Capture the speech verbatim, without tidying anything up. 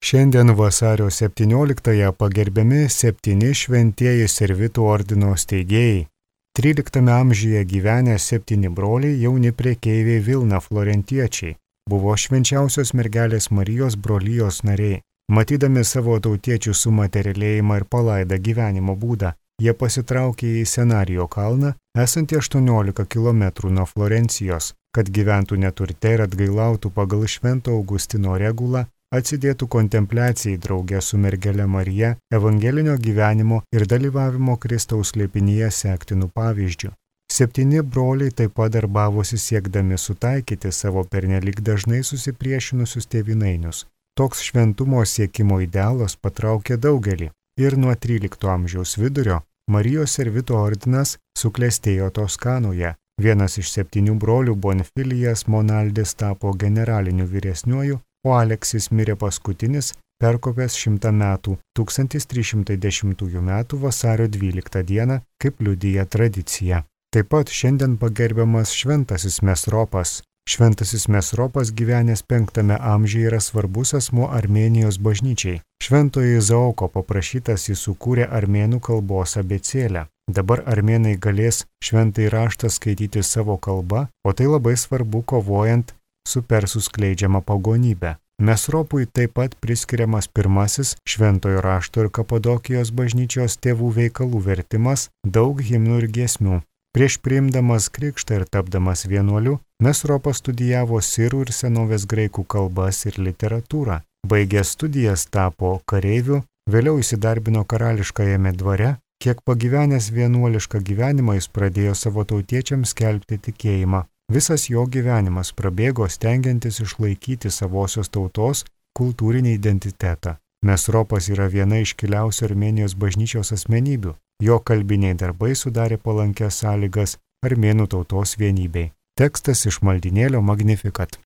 Šiandien vasario septynioliktąją pagerbiami septyni šventieji servitų ordino steigėjai. tryliktame amžiuje gyvenę septyni broliai jauni prekeiviai Vilna florentiečiai. Buvo švenčiausios mergelės Marijos brolijos nariai. Matydami savo tautiečių sumaterialėjimą ir palaidą gyvenimo būdą, jie pasitraukė į Senarijo kalną, esantį aštuoniolika kilometrų nuo Florencijos, kad gyventų neturte ir atgailautų pagal Švento Augustino regulą, atsidėtų kontempliacijai drauge su mergele Marija, evangelinio gyvenimo ir dalyvavimo Kristaus slėpinyje sektinų pavyzdžių. Septyni broliai taip pat darbavosi siekdami sutaikyti savo pernelyg dažnai susipriešinusius tėvynainius. Toks šventumo siekimo idealas patraukė daugelį ir nuo trylikto amžiaus vidurio Marijos servito ordinas suklestėjo Toskanoje. Vienas iš septynių brolių Bonfilijas Monaldis tapo generaliniu vyresniuoju, o Aleksis mirė paskutinis, perkopęs šimtą metų, tūkstantis trys šimtai dešimtųjų metų vasario dvyliktą dieną, kaip liudija tradicija. Taip pat šiandien pagerbiamas Šventasis Mesropas. Šventasis Mesropas gyvenęs penktame amžiuje yra svarbus asmuo Armėnijos bažnyčiai. Šventojo Izaoko paprašytas jis sukūrė armėnų kalbos abėcėlę. Dabar armėnai galės šventąjį raštą skaityti savo kalba, o tai labai svarbu kovojant su persų skleidžiama pagonybė. Mesropui taip pat priskiriamas pirmasis šventojo rašto ir Kapadokijos bažnyčios tėvų veikalų vertimas, daug himnų ir giesmių. Prieš priimdamas krikštą ir tapdamas vienuoliu, Mesropas studijavo sirų ir senovės graikų kalbas ir literatūrą. Baigęs studijas tapo kareiviu, vėliau įsidarbino karališkajame dvare. Kiek pagyvenęs vienuolišką gyvenimą jis pradėjo savo tautiečiams skelbti tikėjimą. Visas jo gyvenimas prabėgo stengiantis išlaikyti savosios tautos kultūrinį identitetą. Mesropas yra viena iškiliausių Armėnijos bažnyčios asmenybių. Jo kalbiniai darbai sudarė palankias sąlygas armėnų tautos vienybei. Tekstas iš maldynėlio Magnificat.